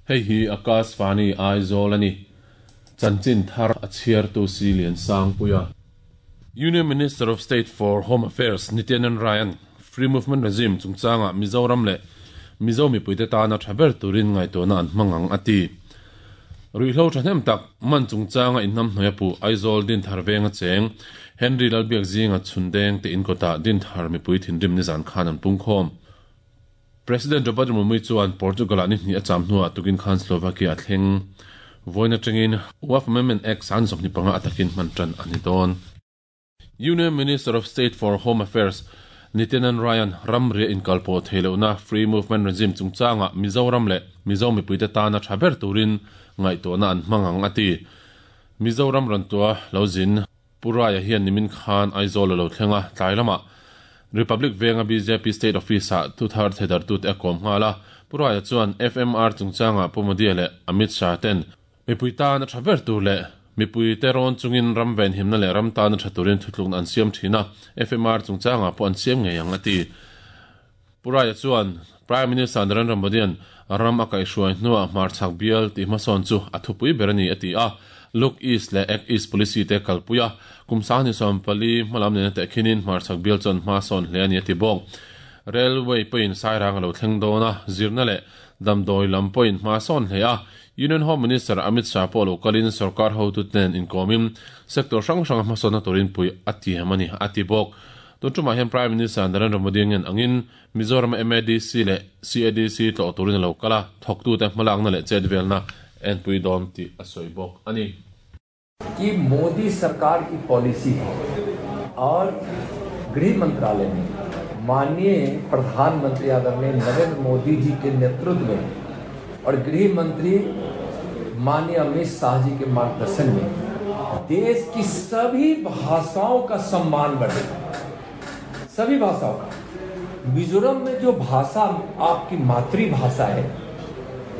Hei hi Akashvani Aizawl a ni. Chanchin thar a chhiartu si Liansangpuia. Union Minister of State for Home Affairs Nityanand Rai-a'n Free Movement Regime chungchangah Mizoram leh Mizo mipuite tana tha ber turin ngaihtuahna an hmang ang a ti. Ruihhlo thahnem tak man chungchanga inhnamhnawih a puh Aizawl Dinthar venga cheng Henry Lalbiakzinga chhundeng te inkawtah Dinthar mipui thinrim nizan khan an pungkhawm. President Draupadi Murmu chuan Portugal-ah ni hnih a cham hnuah tukin khan Slovakia a thleng. Vawiin atangin Waqf Amendment Act 25 a takin hman tan a ni dawn. Union Minister of State for Home Affairs Nityanand Rai-a'n ramria inkalpawh theih lohna Free Movement Regime chungchangah Mizoram leh Mizo mipuite tana tha ber turin ngaihtuahna an hmang ang a ti. Mizoram rawn tua lo zin Pu Rai-a hian nimin khan Aizawl a lo thleng a, tlai lamah Republic venga bjp State Office-ah thuthar theidartute a kawm nghal a. Pu Rai-a chuan FMR chungchangah Pu Modi-a leh Amit Shah ten mipui tan a tha ber tur leh mipuite rawn chungin ram venhimna leh ram tan a tha turin thutlukna an siam thin a, FMR chungchangah pawh an siam ngei ang a ti. Pu Rai-a chuan Prime Minister Narendra Modi-a'n ram a kaihhruai hnuah hmarchhak bial tih hmasawn chu a thupui ber a ni a ti a, Look East leh Act East policy te kalpui a, kum 24 hmalam nena tehkhinin hmarchhak bial chuan hma sawn hle a ni a ti bawk. Railway pawhin Sairang a lo thleng dawn a, zirna leh damdawi lam pawhin hma sawn hle a, Union Home Minister Amit Shah pawh lo kalin sorkar hotute nen inkawmin sector hrang hranga hmasawnna turin pui a tiam a ni a ti bawk. Tun tumah hian Prime Minister Narendra Modi ngen angin Mizoram-a MADC leh CADC tlawh turin a lo kal a, thawktute hmalakna leh chetvelna enpui dawn tih a sawi bawk a ni. कि मोदी सरकार की policy है और गृह मंत्रालय में माननीय प्रधानमंत्री आदरणीय नरेंद्र मोदी जी के नेतृत्व में और गृह मंत्री माननीय अमित शाह जी के मार्गदर्शन में देश की सभी भाषाओं का सम्मान बढ़े, सभी भाषाओं का। मिजोरम में जो भाषा आपकी मातृभाषा है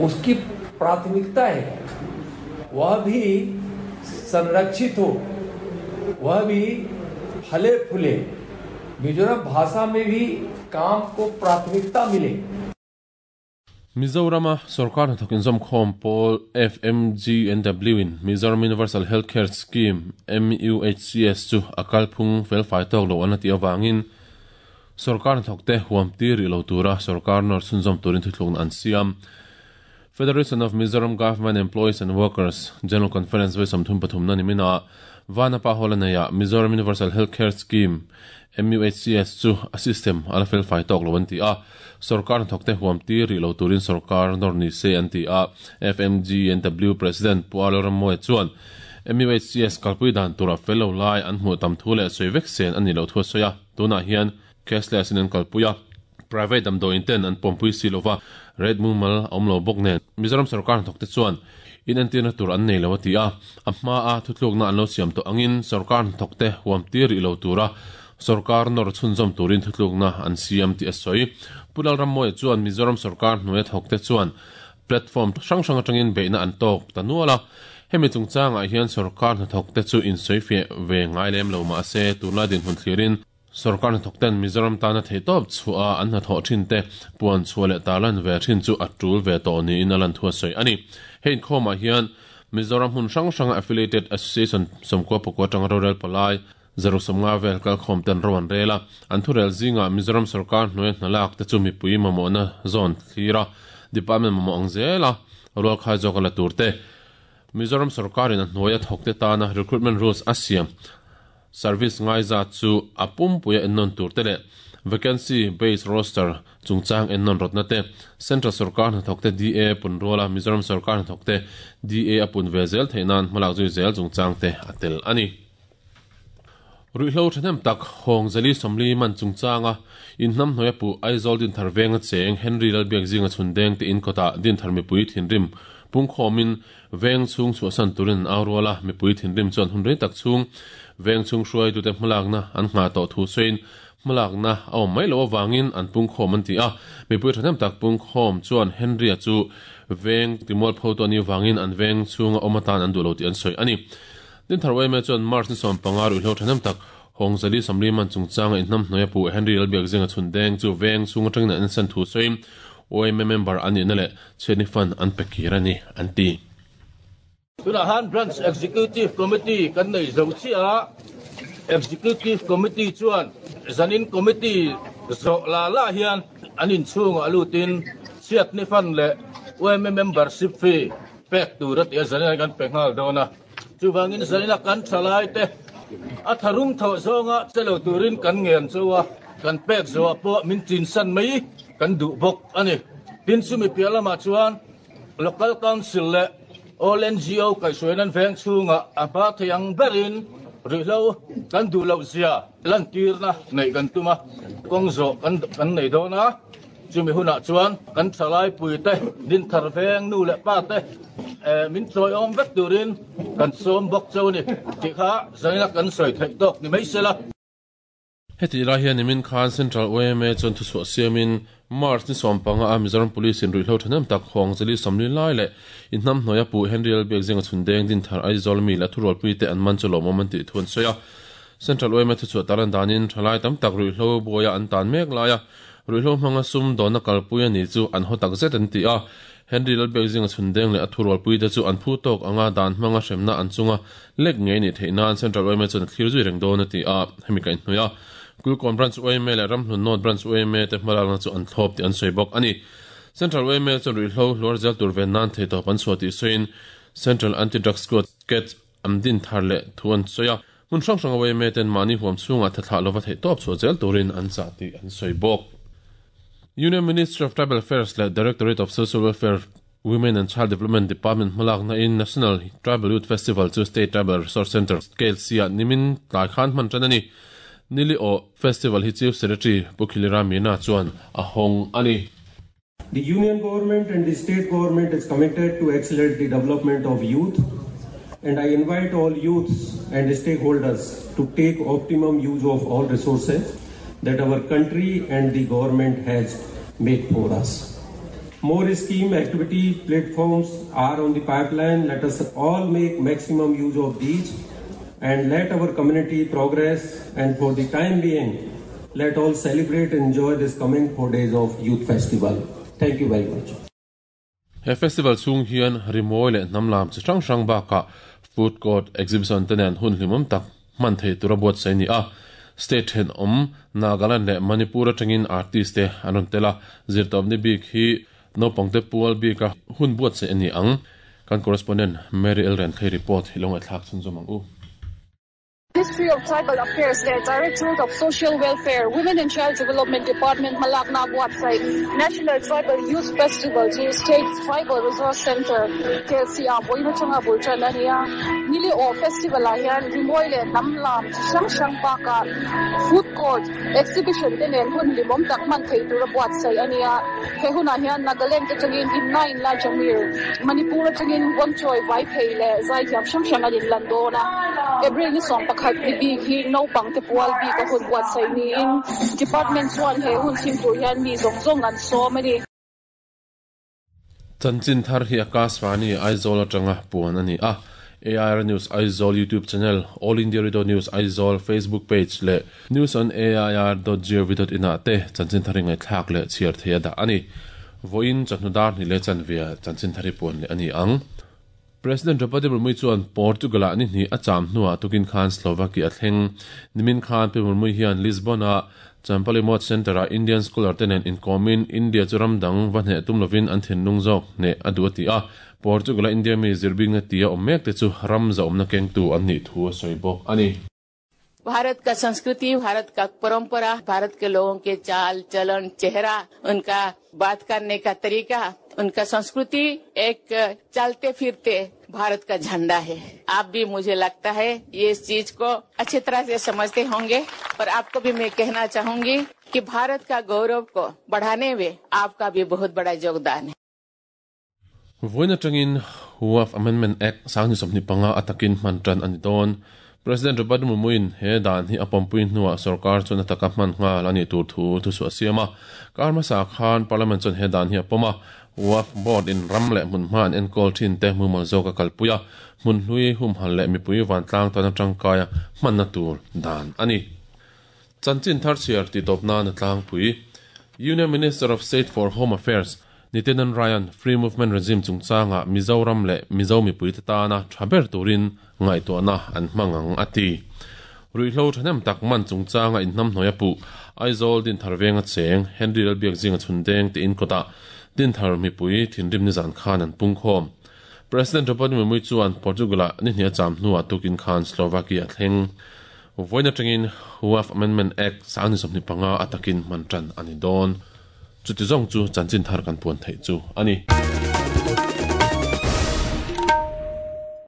उसकी प्राथमिकता है, वह भी संरक्षित हो, वह भी फले फूले, मिजोरम भाषा में भी काम को प्राथमिकता मिले। Mizorama sorkar hnathawk inzawmkhawm pawl FMGNW-in Mizoram Universal Health Care Scheme, MUHCS, chu a kalphung felfai tawk lo an a tih avangin sorkar hnathawkte huam tir rih lo tura sorkar nawr chhunzawm turin thuthlukna an siam. Federation of Mizoram Government Employees and Workers General Conference vawi 33 na niminah Vanapa Hall a neiah Mizoram Universal Health Care Scheme, MUHCS, chu a system a la felfai tawk lo an ti a, sorkar hnathawkte huam tir rih lo turin sorkar nawr ni se an ti a, FMGNW President Pu Arlo Rammawia chuan MUHCS kalpui dan tura fel lo lai an hmuh tam thu leh sawi vek sen a nih loh thu a sawi a, tunah hian cashless in an kalpui a, private damdawiin ten an pawmpui si lova, rate mumal a awm lo bawk nen Mizoram sorkar hnathawkte chuan inentirna tur an nei lo a ti a, a hmaa thutlukna an lo siam tawh angin sorkar hnathawkte huam tir rih lo tura sorkar nawr chhunzawm turin thutlukna an siam tih a sawi. Pu Lalrammawia chuan Mizoram sorkar hnuaia thawkte chuan platform hrang hrang atangin beihna an tawk ta nual a, hemi chungchangah hian sorkar hnathawkte chu insawifiah ve ngai lem lo mahse tunlai dinhmun thlirin Sorkar hnathawkten Mizoram tana theihtawp chhuah a an hnathawh thin te puan chhuah leh tarlan ve thin chu a tul ve tawh niin a lan thu a sawi a ni. He inkhawmah hian Mizoram hmun hrang hranga Affiliated Association 94 atanga rorel palai 150 vel kalkhawm ten ro an rel a, an thurel zingah Mizoram sorkar hnuaia hnalak te chu mipui mamawhna zawn thlir a, department mamawh ang zela rualkhai zawk a la tur te, Mizoram sorkarin a hnuaia thawkte tana recruitment rules a siam Service ngaizat chu a pumpuia ennawn tur te leh Vacancy Based Roster chungchang ennawn rawtna te, Central sorkar hnathawkte DA pun ruala Mizoram sorkar hnathawkte DA a pun ve zel theih nan hmalak zui zel chungchang te a tel a ni. Ruihhlo thahnem tak Hawng Zali 40 man chungchanga inhnamhnuaia puh Aizawl Dinthar venga cheng Henry Lalbiakzinga chhundeng te in kawtah Dinthar mipui thinrim pungkhawmin Veng chhung chhuahsan turin an au rual a, mipui thinrim chuan hun rei tak chhung veng chhung hruaitute hmalakna an nghah tawh thu sawiin hmalakna a awm mai loh avangin an pungkhawm an ti a. Mipui thahnem tak pungkhawm chuan Henry-a chu veng timualpho tu a nih avangin an veng chhunga awm atan an duh lo tih an sawi a ni. Dinthar yma chuan March ni 15 ruihhlo thahnem tak Hawng 140 man chungchanga inhnamhnuaia pu Henry Lalbiakzinga chhun deng chu veng chhung atangin an ensan thu sawiin. Yma member an nihna leh chhiatni fund an pe kir a ni, an ti. Tunah han Branch Executive Committee kan nei zo chiah a, Executive Committee chuan zanin Committee zawh la la hian an inchhungah lutin chhiatni fund leh yma membership fee pek tur a ti a, zanin kan pe nghal dawn a. Chuvangin zanina kan thalaite a tharum thawh zawnga che lo turin kan ngen cho a, kan pek zawhah pawh min chinsan mai kan duh bawk a ni. Tin, chumi piah lamah chuan Local Council leh All NGO kaihhruaina an veng chhungah a hma thei ang berin ruihhlo kan duh loh zia lantirna neih kan tum a, kawng zawh kan nei dawn a. Chumi hunah chuan kan thalaipuite, Dinthar veng nu leh pa te min chawiawm vek turin kan sawm bawk cheu a ni tih kha zaina kan sawi theih tawk ni mai se la. Hetih lai hian nimin khan Central yma chuan thuchhuah siamin March ni 15 a Mizoram Police in ruihhlo thahnem tak hawng zali 40 lai leh inhnam hnuaia Pu Henry Lalbiakzinga chhundeng Dinthar Aizawl mi leh thurualpuite an man chu lawmawm an tih thu an sawi a. Central yma thuchhuah talan danin thalai tam tak ruihhlo buaia an tan mek laia Ruihhlo hmanga sum dawnna kalpui a ni chu an haw tak zet an ti a. Henry Lalbiakzinga chhundeng leh a thurualpuite chu an phu tawk anga dan hmanga hremna an chunga lek ngei nih theih nan Central yma chuan a thlir zui reng dawn a ti a. Hemi kaihhnawih a, Kulkawn Branch yma leh Ramhlun North Branch yma te hmalakna chu an thlawp tih an sawi bawk a ni. Central yma chuan ruihhlo hluar zel tur ven nan theihtawp an chhuah tih sawiin Central Anti-Drug Squad, CADS, An din thar leh thu an sawi a, hmun hrang hranga yma ten mahni huam chhungah thathlah lova theih tawp chhuah zel turin an chah tih an sawi bawk. Union Ministry of Tribal Affairs leh Directorate of Social Welfare, Women and Child Development Department hmalakna in National Tribal Youth Festival chu State Tribal Resource Centre, KLC ah nimin tlai khan hman tan a ni. Nili aw Festival hi Chief Secretary Pu Khilira Meena chuan a hawng a ni. The union government and the state government is committed to accelerate the development of youth and I invite all youths and stakeholders to take optimum use of all resources that our country and the government has made for us. More scheme activity platforms are on the pipeline. Let us all make maximum use of these and let our community progress and for the time being, let all celebrate and enjoy this coming 4 days of Youth Festival. Thank you very much. He festival chhung hian rimawi leh hnam lam chi hrang hrang bakah food court, exhibition te nen hun hlimawm tak hman thei tura buatsaih a ni a. State thenawm Nagaland leh Manipur atangin artist te an rawn tel a, zirtawpni bik hi naupangte pual bika hun buatsaih a ni ang. Kan correspondent Mary Elrenthei report hi lo ngaihthlak chhunzawm ang u. Ministry of Tribal Affairs leh Directorate of Social Welfare, Women and Child Development Department hmalakna buatsaih National Tribal Youth Festival chu State Tribal Resource Centre, KLC-ah vawiin atanga bul tan a ni a. Nili aw Festival-ah hian rimawi leh hnam lam chi hrang hrang bakah food court, exhibition te nen hun hlimawm tak hman thei tura buatsaih a ni a. He hunah hian Nagaland atangin Inna Inla Jamir, Manipur atangin Wanchoi Vaiphei leh zaithiam hrang hrang an inlan dawn a. April ni 11 ni bik hi naupang te pual bik a hun buatsaih niin Department chuan he hun chhim tur hian mi zawng zawng an sawm a ni. Chanchin thar hi Akashvani Aizawl atanga puan a ni a. AIR News Aizawl YouTube channel, All India Radio News Aizawl Facebook page leh newsonair.gov.in ah te chanchin thar hi ngaihthlak leh chhiar thei a dah a ni. Vawiin chawhnu dar hnih leh chanve chanchin thar hi puan leh a ni ang. President Draupadi Murmu chuan Portugal-ah ni hnih a cham hnuah tukin khan Slovakia a thleng. Nimin khan Pi Murmu hian Lisbon-a Champalimawt Centre-ah Indian scholar te nen inkawmin India chu ram dang va hneh tum lovin an thinlung zawk hneh a duh a ti a. Portugal-a India mi zirbingna tia awm mek te chu ram zahawmna kengtu an nih thu a sawi bawk a ni. Bharat का संस्कृति भारत का परंपरा भारत के लोगों के चाल चलन चेहरा उनका बात करने का तरीका उनका संस्कृति एक चलते फिरते भारत का झंडा है आप भी मुझे लगता है ये इस चीज को अच्छी तरह से समझते होंगे और आपको भी मैं कहना चाहूंगी कि भारत का गौरव को बढ़ाने में आपका भी बहुत बड़ा योगदान है Vawiin atangin Waqf Amendment Act 2025 a takin hman tan a ni dawn. President Robert Murmu-in he dan hi a pawmpui hnuah sorkar chuan a taka hman nghal a nih tur thu thusuah a siam a. Kar hmasa khan Parliament chuan he dan hi a pawm a, Waqf Board in ram leh hmunhma an enkawl thin te mumal zawk a kalpui a, hmun hlui humhal leh mipui vantlang tana tangkaia hmanna tur dan a ni. Chanchin thar chhiar tih tawp nan a tlangpui. Union Minister of State for Home Affairs, Nityanand Rai-a'n Free Movement Regime chungchanga Mizoram leh Mizo mipuite tana tha ber turin ngaihtuahna an hmang ang a ti. Ruihhlo thahnem tak man chungchanga inhnamhnawih a puh Aizawl Dinthar venga cheng Henry Lalbiakzinga chhundeng te inkawtah Dinthar mipui thinrim nizan khan an pungkhawm. President Draupadi Murmu chuan Portugal-ah ni hnih a cham hnuah tukin khan Slovakia a thleng. Vawiin atangin Waqf Amendment Act sangni 25 a takin hman tan a ni dawn. Chuti zawng chu chanchin thar kan puan theih chu a ni.